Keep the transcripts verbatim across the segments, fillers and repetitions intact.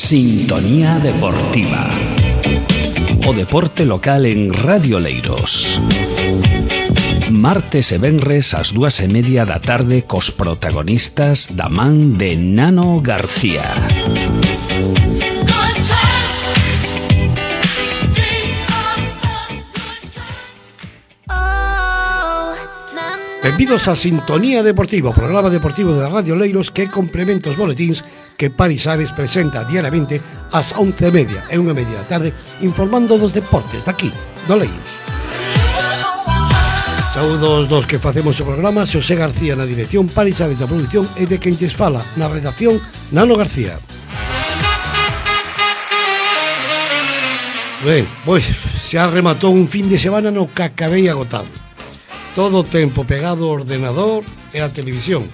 Sintonía Deportiva. O deporte local en Radio Leiros. Martes e venres ás dúas e media da tarde cos protagonistas da man de Nano García. Benvidos a Sintonía Deportiva, o programa deportivo de Radio Leiros que complementa os boletíns que Paris Ares presenta diariamente ás once e media e unha media da tarde, informando dos deportes daqui, do Leiros. Saúdos dos que facemos o programa, Xosé García na dirección, Paris Ares na produción e de quen lles fala na redacción, Nano García. Ben, pois, xa rematou un fin de semana no que acabei agotado. Todo o tempo pegado ao ordenador e á televisión.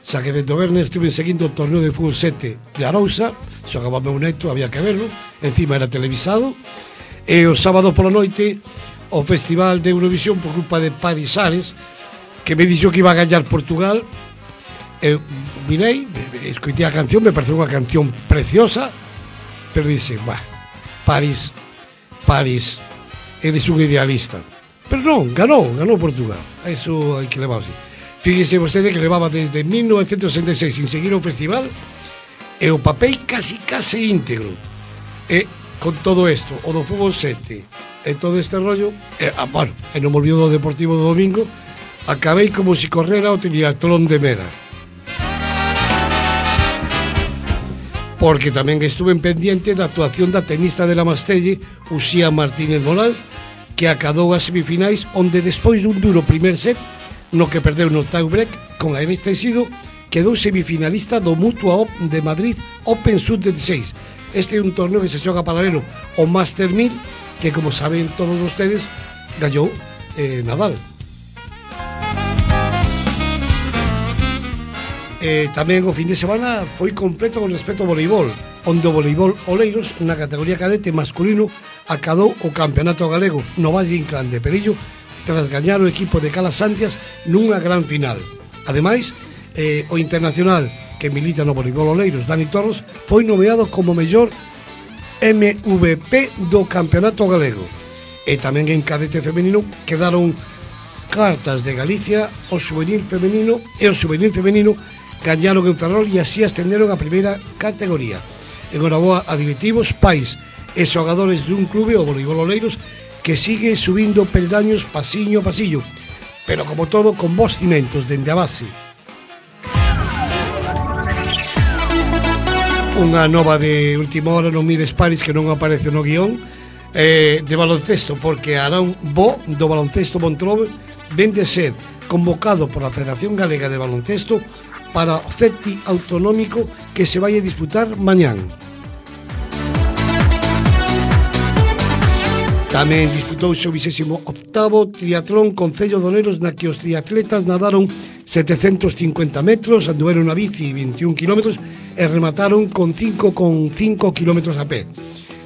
Xa que dentro vernes estuve seguindo o torneo de fútbol sete de Arousa, xogaba meu neto, había que verlo, encima era televisado, e o sábado pola noite o Festival de Eurovisión por culpa de Paris Ares, que me dixo que iba a gañar Portugal. Eu mirei, escoitei a canción, me pareceu unha canción preciosa, pero dixe, bah, Paris, Paris, eres un idealista. Pero non, ganou, ganou Portugal. Eso hai que levar así. Fíjese vostede que levaba desde mil novecientos sesenta e seis sin seguir o festival e o papel casi casi íntegro. E con todo isto, o do fútbol sete e todo este rollo, e, ah, bueno, e non me olvido do Deportivo do domingo, acabei como si correra o triatlón de Mera. Porque tamén estuve en pendiente da actuación da tenista de la Mastelle, Uxía Martínez Moral, que acadou as semifinais, onde despois dun duro primer set, no que perdeu no tie-break con Alex Teixido, quedou semifinalista do Mutua de Madrid Open sub dezasseis. Este é un torneo que se xoga paralelo ao Master mil, que, como saben todos ustedes, gallou eh, Nadal. Eh, tamén o fin de semana foi completo con respecto ao voleibol, onde o voleibol Oleiros, na categoría cadete masculino, acadou o campeonato galego no Valle Inclán de Perillo tras gañar o equipo de Calasantias nunha gran final. Ademais, eh, o internacional que milita no voleibol Oleiros, Dani Torros, foi nomeado como mellor M V P do campeonato galego. E tamén en cadete femenino quedaron cartas de Galicia, o juvenil femenino e o juvenil femenino gañaron en Ferrol e así ascenderon a primeira categoría. Enhoraboa a directivos, pais e xogadores dun clube, o voleibol Oleiros, que sigue subindo peldaños pasiño a pasillo, pero como todo con bons cimentos dende a base. Unha nova de última hora, non mires Paris, que non aparece no guión, eh, de baloncesto, porque Arán Bo do baloncesto Montlobe ven de ser convocado por a Federación Galega de Baloncesto para o C E T I autonómico que se vai a disputar mañán. Tamén disputouse o vigésimo octavo triatlón Concello de Oleiros, na que os triatletas nadaron setecentos cincuenta metros, anduveron a bici veintiún kilómetros e remataron con cinco coma cinco kilómetros a pé.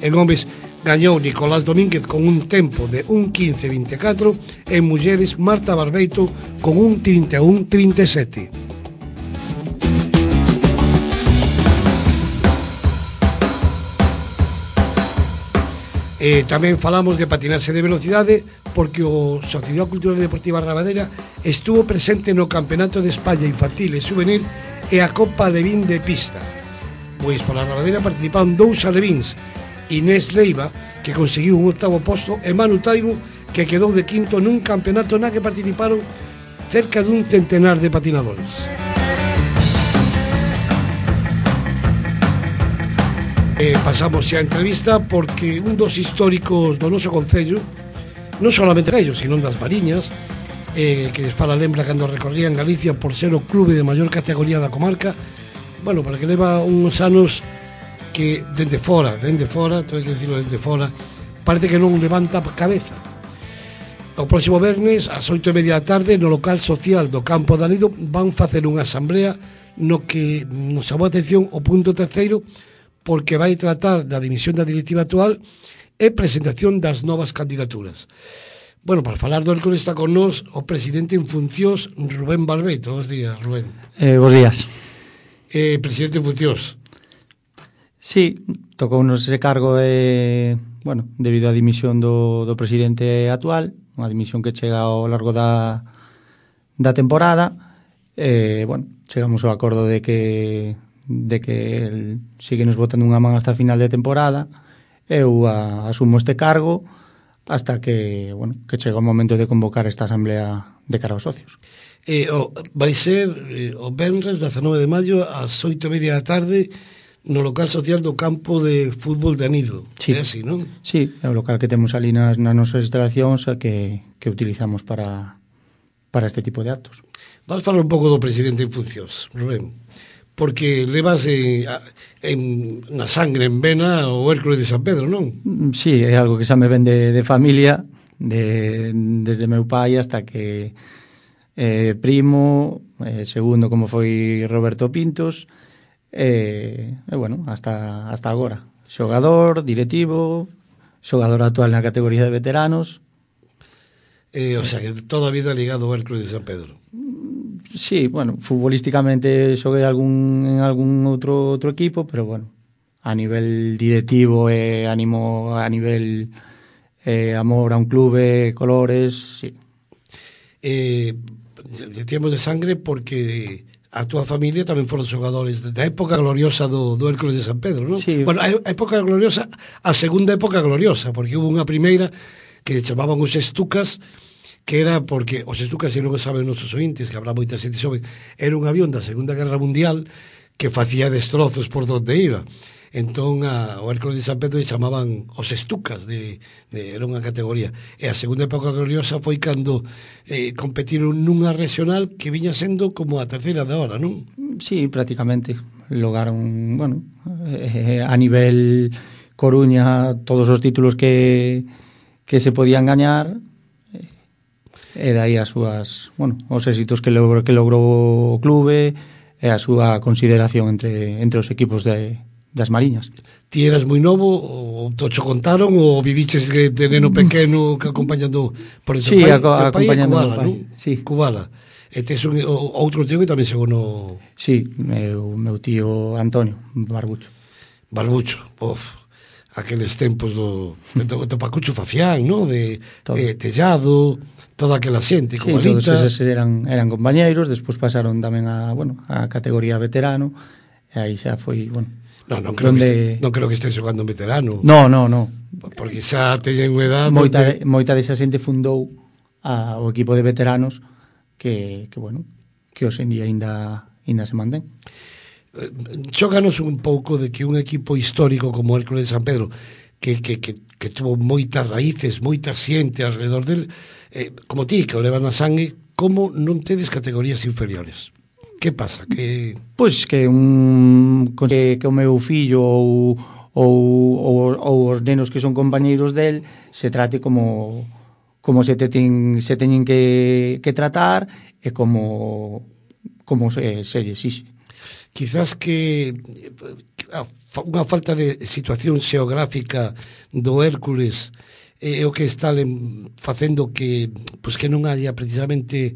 En homes gañou Nicolás Domínguez con un tempo de un quince veinticuatro e en mulleres Marta Barbeito con un trinta e un trinta e sete. Eh, tamén falamos de patinaxe de velocidade, porque o Sociedade Cultural e Deportiva Rabadera estuvo presente no Campeonato de España Infantil e Juvenil e a Copa Alevín de Pista. Pois pola Rabadera participaron dous alevíns, Inés Leiva, que conseguiu un octavo posto, e Manu Taibo, que quedou de quinto nun campeonato na que participaron cerca dun centenar de patinadores. Eh, pasamos xa a entrevista porque un dos históricos do noso concello, non solamente ellos, sino das Mariñas, eh, que les fala lembra cando recorrían Galicia por ser o clube de maior categoría da comarca, bueno, para que leva uns anos que dende fora, dende fora, todo que decirlo dende fora, parece que non levanta cabeza. O próximo vernes, ás oito e media da tarde, no local social do Campo de Anido, van facer unha asamblea no que nos chamou a atención o punto terceiro, porque vai tratar da dimisión da directiva actual e presentación das novas candidaturas. Bueno, para falar do Hércules está con nós o presidente en funcións, Rubén Barbeito. Bos días, Rubén. Eh, bos días. Eh, presidente en funcións. Sí, tocounos ese cargo de, bueno, debido á dimisión do, do presidente actual, unha dimisión que chega ao largo da, da temporada. Eh, bueno, chegamos ao acordo de que de que el sigue nos botando unha man hasta final de temporada. Eu a, asumo este cargo hasta que, bueno, que chega o momento de convocar esta asamblea de cara aos socios. Eh, oh, vai ser eh, o venres dezanove de maio ás oito e media da tarde no local social do campo de fútbol de Anido. Sí. É así, non? Sí, é o local que temos ali nas, nas nosas instalacións que, que utilizamos para, para este tipo de actos. Vas falar un pouco do presidente en funcións, Rubén, porque levas eh, en, na sangre, en vena, o Hércules de San Pedro, non? Sí, é algo que xa me ven de, de familia, de, desde meu pai hasta que eh, primo, eh, segundo como foi Roberto Pintos, e, eh, bueno, hasta, hasta agora. Xogador, directivo, xogador actual na categoría de veteranos. Eh, o sea, que toda a vida ligado ao Hércules de San Pedro. Sí, bueno, futbolísticamente xoguei algún, en algún outro outro equipo, pero bueno, a nivel directivo e ánimo, a nivel eh, amor a un clube, colores, sí. Eh, decíamos de sangre porque a túa familia tamén foron xogadores da época gloriosa do, do Hércules de San Pedro, non? Sí. Bueno, a época gloriosa, a segunda época gloriosa, porque hubo unha primeira que chamaban os Estucas, que era porque os Estucas, se non o saben nosos ointes, que habrá moita xente xoven, era un avión da Segunda Guerra Mundial que facía destrozos por donde iba. Entón, a, o Hércules de San Pedro chamaban os Estucas, de, de, era unha categoría. E a segunda época gloriosa foi cando eh, competiron nunha regional que viña sendo como a terceira de hora, non? Sí, prácticamente. Lograron, bueno, eh, a nivel Coruña, todos os títulos que, que se podían gañar, e dai as súas, bueno, os éxitos que logrou, que logrou o clube e a súa consideración entre, entre os equipos de, das Mariñas. Ti eras moi novo, ou tocho contaron, ou viviches de, de neno pequeno que acompañando por ese sí, pai, a, pai é Cubala, pai. non? Sí. Cubala. E tes un, o, outro tío que tamén chegou no... Sí, meu, meu tío Antonio Barbucho. Barbucho, of, aqueles tempos do, do, do Pacucho Fafián, non? De eh, Tellado, toda aquela xente, sí, Cubalita. Todos eses eran, eran compañeiros, despois pasaron tamén a, bueno, a categoría veterano, e aí xa foi, bueno... No, non creo, donde... que este, non creo que estés xogando en veterano. No, no, no. Porque xa teñen unha edad... Moita, donde... moita desa xente fundou a, o equipo de veteranos que, que bueno, que hoxe en día ainda, ainda se mantén. Xóganos un pouco de que un equipo histórico como o Hércules de San Pedro, que, que, que, que tuvo moitas raíces, moita xente alrededor del, eh, como ti, que o levan na sangue, como non tedes categorías inferiores? Que pasa? Que... Pois que un que, que o meu fillo ou, ou, ou, ou os nenos que son compañeiros del se trate como como se, te ten, se teñen que, que tratar e como como se, se exixe. Quizás que unha falta de situación xeográfica do Hércules é o que está facendo que, pues, que non haya precisamente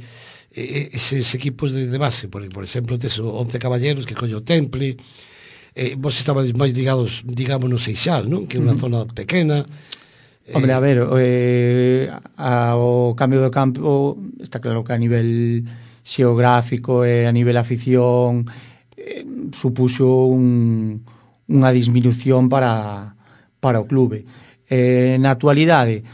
eses equipos de, de base, por, por exemplo, tes o Once Caballeros que colle o Temple, eh, vos estabades máis ligados, digamos, no Seixal, non? Que é unha uh-huh. zona pequena. Hombre, a ver, eh, a, o cambio do campo está claro que a nivel xeográfico e a nivel afición eh, supuxo un, unha disminución para, para o clube. Eh, na actualidade,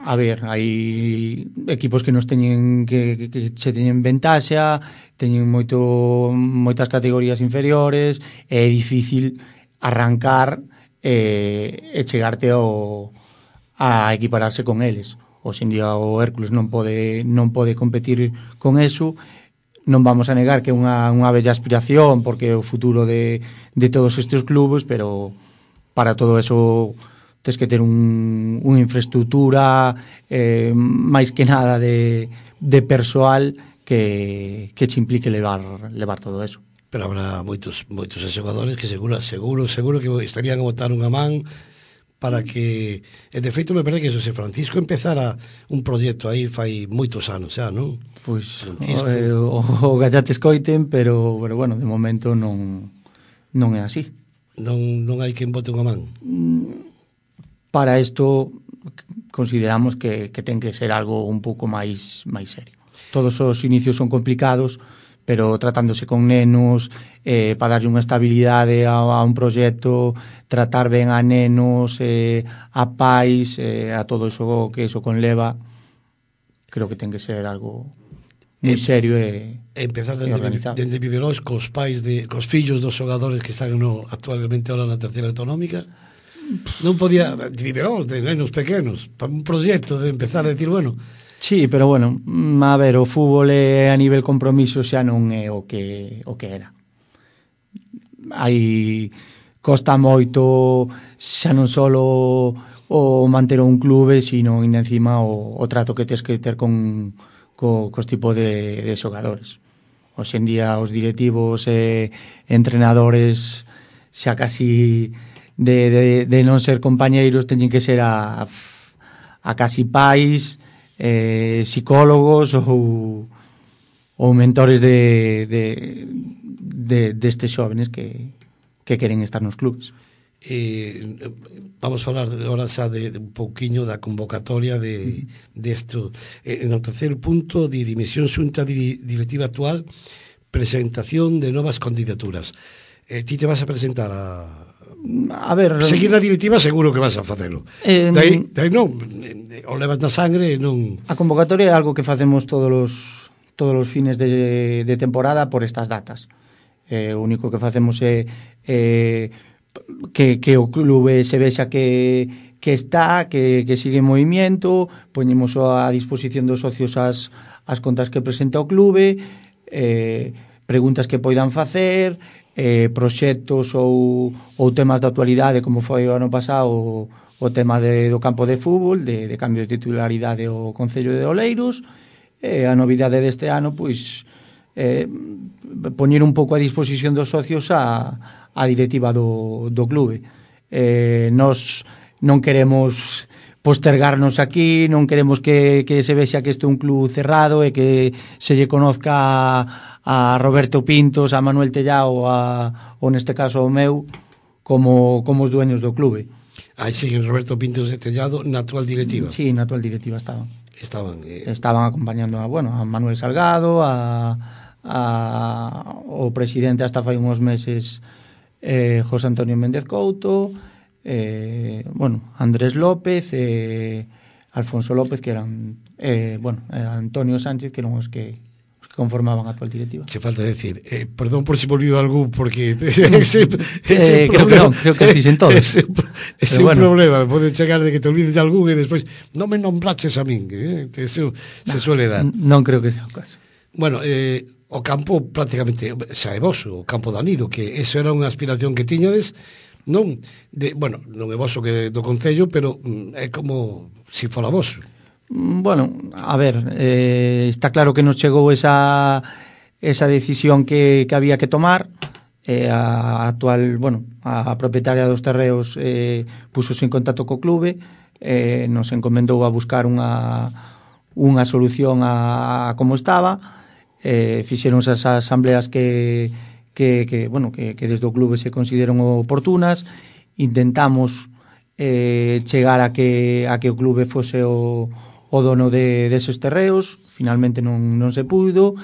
a ver, hai equipos que nos teñen que, que se teñen ventaxa, teñen moito moitas categorías inferiores, e é difícil arrancar e, e chegarte ao, a equipararse con eles. Hoxe en día o Hércules non pode non pode competir con eso. Non vamos a negar que é unha, unha bella aspiración porque é o futuro de, de todos estes clubes, pero para todo eso tes que ter un, unha infraestructura eh, máis que nada de, de persoal que, que che implique levar, levar todo eso. Pero habrá moitos moitos xogadores que seguro, seguro, seguro que estarían a botar unha man para que, e de feito me parece que Xosé Francisco empezara un proxecto aí fai moitos anos xa, non? Pois eh, o, o gallate escoiten, pero, pero bueno, de momento non, non é así. Non, non hai quen bote unha man? Para isto consideramos que, que ten que ser algo un pouco máis máis serio. Todos os inicios son complicados, pero tratándose con nenos, eh, para darlle unha estabilidade a, a un proxecto, tratar ben a nenos, eh, a pais, eh, a todo iso que iso conleva, creo que ten que ser algo moi serio e, empezar e organizado. dende Viveros cos pais de, cos fillos dos xogadores que están no, actualmente ahora na terceira autonómica. Non podía, de Viveros, de nenos pequenos, para un proxecto de empezar a decir, bueno... Sí, pero bueno, a ver, o fútbol é, a nivel compromiso xa non é o que o que era. Hai costa moito xa non só o manter un clube, sino ainda encima o, o trato que tes que ter con co, cos tipos de, de xogadores. Hoxe en día os directivos e entrenadores xa casi de, de, de non ser compañeiros teñen que ser a, a casi pais, eh, psicólogos ou, ou mentores de, de, de, destes xóvenes que, que queren estar nos clubes. Eh, vamos a falar agora xa de, de un pouquiño da convocatoria de desto. De eh, no terceiro punto de dimisión xunta di, directiva actual, presentación de novas candidaturas. Eh, ti te vas a presentar a a ver, seguir na directiva, seguro que vas a facelo. Eh, dai, dai non, o levas na sangre e non... A convocatoria é algo que facemos todos os todos os fines de, de temporada por estas datas. Eh, o único que facemos é eh, que, que o clube se vexa que, que está, que, que sigue en movimiento, poñemos a disposición dos socios as, as contas que presenta o clube, eh, preguntas que poidan facer, eh, proxectos ou, ou temas de actualidade, como foi o ano pasado o, o tema de, do campo de fútbol, de, de cambio de titularidade ao Concello de Oleiros, e a novidade deste ano, pois, eh, poñer un pouco a disposición dos socios a, a directiva do, do clube. Eh, nos non queremos postergarnos aquí, non queremos que, que se vexa que este é un club cerrado e que se lle conozca a, a Roberto Pintos, a Manuel Tellao, a, ou neste caso o meu, como, como os dueños do clube. Aí siguen Roberto Pintos de Tellado na actual directiva. Sí, na actual directiva estaban. Estaban, eh... estaban acompañando a, bueno, a Manuel Salgado, a, a o presidente hasta fai uns meses, eh, José Antonio Méndez Couto, eh, bueno, Andrés López, eh, Alfonso López, que eran, eh, bueno, eh, Antonio Sánchez, que eran os que conformaban a actual directiva. Que falta decir, eh, perdón por si volvió algún, porque ese, ese eh, creo que non, creo que dicen todos. Ese, ese bueno. problema, pode chegar de que te olvides de algún e despois non me nombraches a min, que, que eso no, se suele dar. Non creo que sea o caso. Bueno, eh, o campo prácticamente xa é voso, o campo de Anido, que eso era unha aspiración que tiñades, non, de, bueno, non é voso que do Concello, pero mm, é como se si fora voso. Bueno, a ver, eh, está claro que nos chegou esa esa decisión que, que había que tomar. Eh, a actual, bueno, a, a propietaria dos terreos eh, puxose en contacto co clube, eh, nos encomendou a buscar unha unha solución a, a como estaba. Eh, fixeron esas asambleas que, que, que, bueno, que, que desde o clube se consideran oportunas. Intentamos eh, chegar a que, a que o clube fose o o dono de deses terreos, finalmente non, non se puido,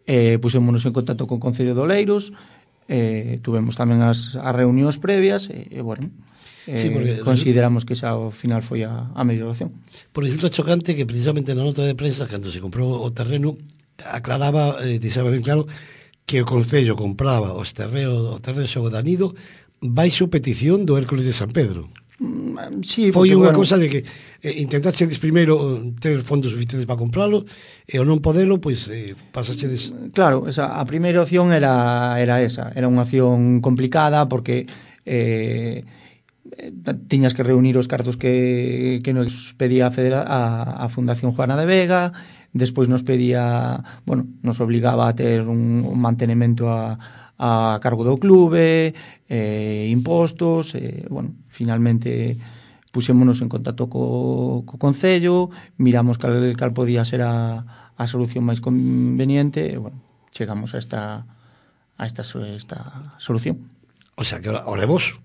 eh, pusémonos en contacto con o Concello de Oleiros, eh, tuvemos tamén as, as reunións previas, e, eh, bueno, eh, sí, porque, consideramos que xa ao final foi a, a mellor opción. Por resulta chocante que precisamente na nota de prensa, cando se comprou o terreno, aclaraba, eh, deixaba ben claro, que o Concello compraba os terreos, o terreno de Xogo de Anido baixo petición do Hércules de San Pedro. Sí, foi unha bueno, cousa de que eh, intentaxedes primeiro ter fondos suficientes para compralo e ao non podelo, pois eh, pasaxedes... Claro, esa, a primeira opción era, era esa, era unha opción complicada porque eh, tiñas que reunir os cartos que, que nos pedía a, Federa, a, a Fundación Juana de Vega, despois nos pedía, bueno, nos obligaba a ter un, un mantenemento a a cargo do clube, eh, impostos, eh, bueno, finalmente pusémonos en contacto co, co Concello, miramos cal, cal podía ser a, a solución máis conveniente, e, bueno, chegamos a esta, a esta, esta solución. O sea, que ahora, ahora é voso.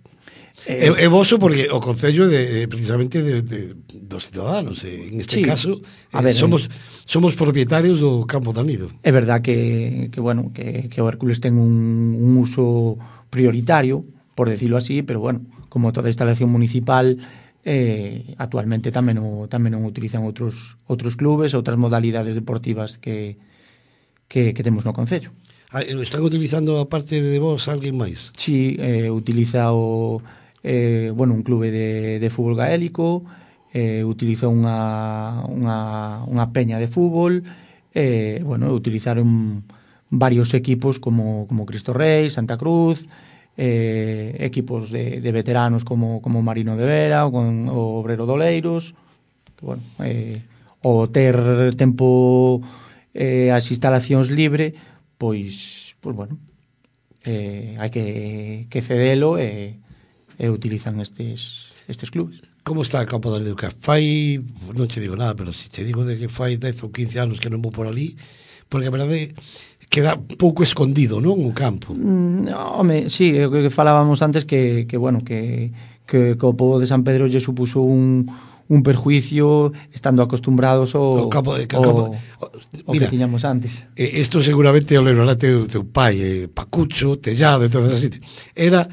Eh, É, é voso porque o Concello é de, de, precisamente de, de, dos cidadanos. En este sí, caso, a eh, ver, somos, somos propietarios do Campo de Anido. é verdad que, que bueno, que, que o Hércules ten un, un uso prioritario, por decirlo así, pero bueno, como toda instalación municipal, eh, actualmente tamén o, tamén o utilizan outros outros clubes, outras modalidades deportivas que, que, que temos no Concello. Ah, están utilizando, aparte de vos, alguén máis? Sí, eh, utiliza o eh, bueno, un clube de, de fútbol gaélico, eh, utiliza unha, unha, unha peña de fútbol, eh, bueno, utilizaron varios equipos como, como Cristo Rei, Santa Cruz, eh, equipos de, de veteranos como, como Marino de Vera, o, con, o Obrero Doleiros, que, bueno, eh, o ter tempo eh, as instalacións libre, pois, pois bueno, eh, hai que, que cedelo e, e utilizan estes, estes clubes. Como está o Campo de Anido? Que fai, non che digo nada, pero se te digo de que fai dez ou quince anos que non vou por ali, porque a verdade queda pouco escondido, non, o campo. Mm, home, sí, é o que falábamos antes que, que bueno, que, que, que o pobo de San Pedro lle supuso un, un perjuicio estando acostumbrados ao, O campo, o, ao, campo, ao que tiñamos antes. Eh, isto seguramente o lembrará teu, teu pai, eh, Pacucho, Tellado, e todas así. Era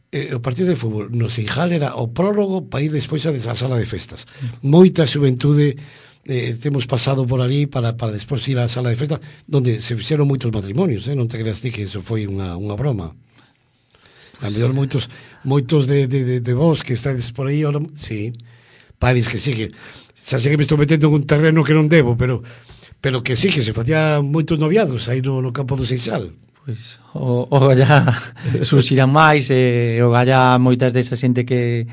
eh, o partido de fútbol no Seijal era o prólogo para ir despois a esa sala de festas. Moita xuventude eh, temos pasado por ali para, para despois ir á sala de festas donde se fixeron moitos matrimonios, eh? Non te creas ti que eso foi unha, unha broma. A mellor moitos moitos de, de, de, de vos que estáis por aí, ahora, sí, paris que sí, que xa sei que me estou metendo en un terreno que non debo, pero pero que sí, que se facía moitos noviados aí no, no campo do Seixal. Pois o, o gallá surxirán máis e o gallá moitas desa xente que,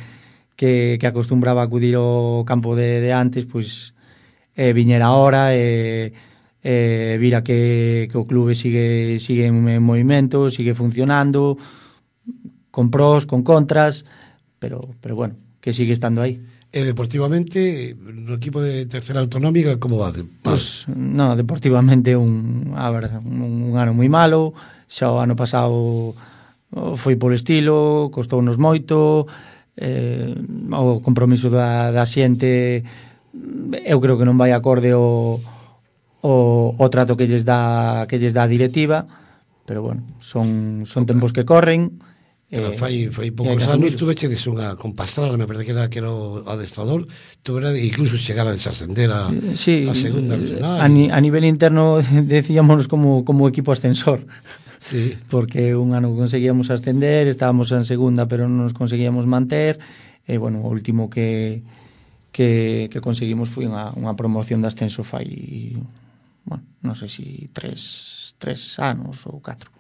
que, que acostumbraba a acudir ao campo de, de antes, pois eh, viñera ahora e eh, vira que, que o clube sigue, sigue en movimento, sigue funcionando, con pros, con contras, pero, pero bueno, que sigue estando aí. E deportivamente, no equipo de tercera autonómica, como va? Pues, no, deportivamente un, a ver, un, un ano moi malo, xa o ano pasado foi polo estilo, costounos moito, eh, o compromiso da, da xente eu creo que non vai acorde o, o, o trato que lles dá que lles dá a directiva, pero bueno, son, son tempos que corren. Pero eh, fai, fai poucos anos tu vechedes unha con Pastrana, me parece que era, que era o adestrador, tu era incluso chegar a desascender a, sí, a segunda nacional. A, ni, a nivel interno decíamos como, como equipo ascensor, sí. Porque un ano conseguíamos ascender, estábamos en segunda pero non nos conseguíamos manter, e bueno, o último que que, que conseguimos foi unha, unha promoción de ascenso fai, bueno, non sei se tres, tres anos ou catro.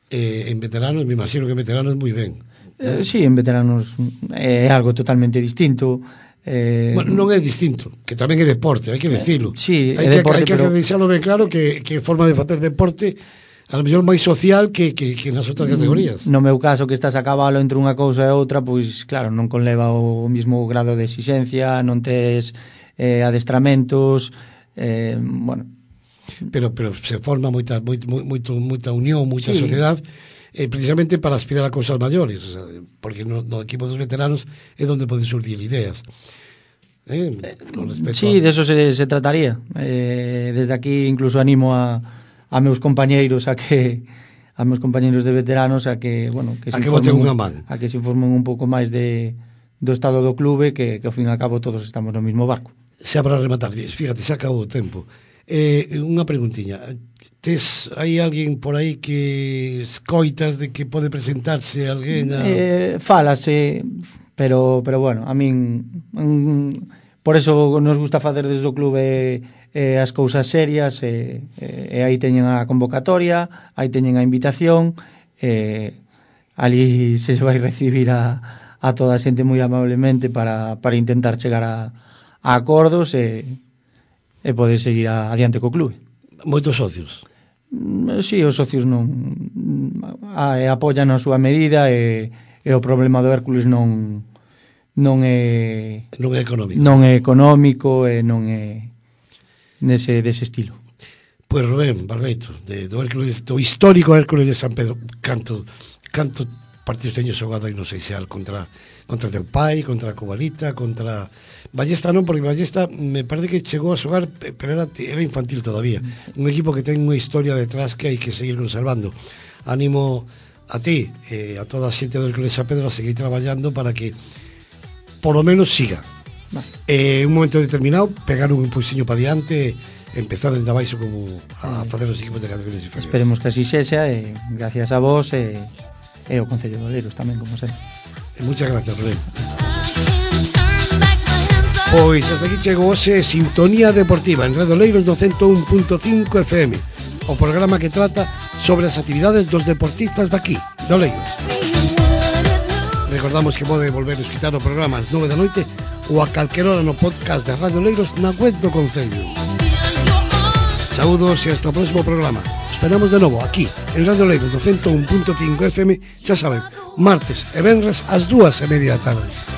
Eh, en veteranos, me imagino que en veteranos moi ben. Eh, sí, en veteranos é algo totalmente distinto. Eh, bueno, non é distinto, que tamén é deporte, hai que dicilo. Eh, sí, hai é que, deporte, hai que pero... deixalo ben claro que, que forma de facer deporte a lo mellor máis social que, que, que nas outras categorías. No meu caso, que estás a cabalo entre unha cousa e outra, pois claro, non conleva o mismo grado de exigencia, non tes eh, adestramentos, eh, bueno... Pero, pero se forma moita, moita, moita, moita unión, moita sí. sociedade, eh, precisamente para aspirar a cousas maiores, o sea, porque no, no equipo dos veteranos é onde poden surgir ideas. Eh, con sí, a... de eso se, se trataría. Eh, desde aquí incluso animo a, a meus compañeiros a que a meus compañeiros de veteranos a que, bueno, que a se que boten unha a man. que se informen un pouco máis de do estado do clube, que, que ao fin e ao cabo todos estamos no mesmo barco. Xa para rematar, fíjate, xa acabou o tempo. Eh, unha preguntiña, tes hai alguén por aí que escoitas de que pode presentarse alguén a... eh, falase, pero pero bueno, a min mm, por eso nos gusta facer desde o clube eh, as cousas serias, e eh, eh, aí teñen a convocatoria, aí teñen a invitación, eh, ali se vai recibir a, a toda a xente moi amablemente para, para intentar chegar a, a acordos e e poder seguir a, adiante co clube. Moitos socios? Si, sí, os socios non a, a, apoian a súa medida e, e o problema do Hércules non non é non é económico. Non é económico e non é nese dese estilo. Pois Rubén Barbeito, de, do, Hércules, do histórico Hércules de San Pedro, canto canto partidos teño xogado aí no Seixal contra contra teu pai, contra a Cobalita, contra Ballesta non, porque Ballesta me parece que chegou a xogar, pero era, era infantil todavía. Un equipo que ten unha historia detrás que hai que seguir conservando. Ánimo a ti e eh, a toda a xente do Hércules a Pedro a seguir traballando para que por lo menos siga. Vale. Eh, un momento determinado pegar un impulsiño para diante, empezar dende abaixo como a eh, facer os equipos de categorías inferiores. Esperemos que así sexa e gracias a vos e, e o Concello de Oleiros tamén, como sempre. E muchas gracias, Rubén. Pois hasta aquí chegou hoxe Sintonía Deportiva en Radio Oleiros no ciento un punto cinco F M, o programa que trata sobre as actividades dos deportistas daqui, de Oleiros. Recordamos que pode volver a escutar o programa ás nove da noite ou a calquera hora no podcast de Radio Oleiros na web do Concello. Saúdos e hasta o próximo programa. Esperamos de novo aquí en Radio Oleiros no ciento un punto cinco F M, xa saben, martes e venres ás dúas e media da tarde.